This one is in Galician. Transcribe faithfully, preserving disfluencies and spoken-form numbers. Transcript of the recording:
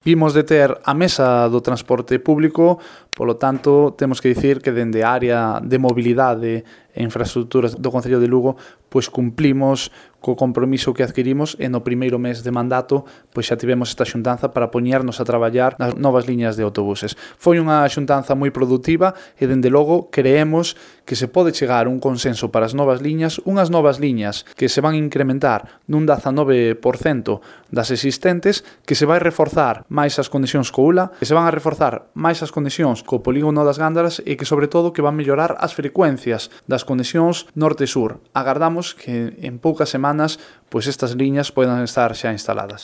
Vimos de ter a mesa do transporte público, polo tanto, temos que dicir que dende a área de mobilidade e infraestructuras do Concello de Lugo, pois cumplimos co compromiso que adquirimos e no primeiro mes de mandato pois xa tivemos esta xuntanza para poñernos a traballar nas novas liñas de autobuses. Foi unha xuntanza moi produtiva e, dende logo, creemos que se pode chegar a un consenso para as novas liñas, unhas novas liñas que se van incrementar nun dezanove por cento das existentes, que se vai reforzar máis as conexións co U L A, que se van a reforzar máis as conexións co polígono das Gándaras e que, sobre todo, que van mellorar as frecuencias das conexións norte-sur. Agardamos que en poucas semanas pois estas liñas poidan estar xa instaladas.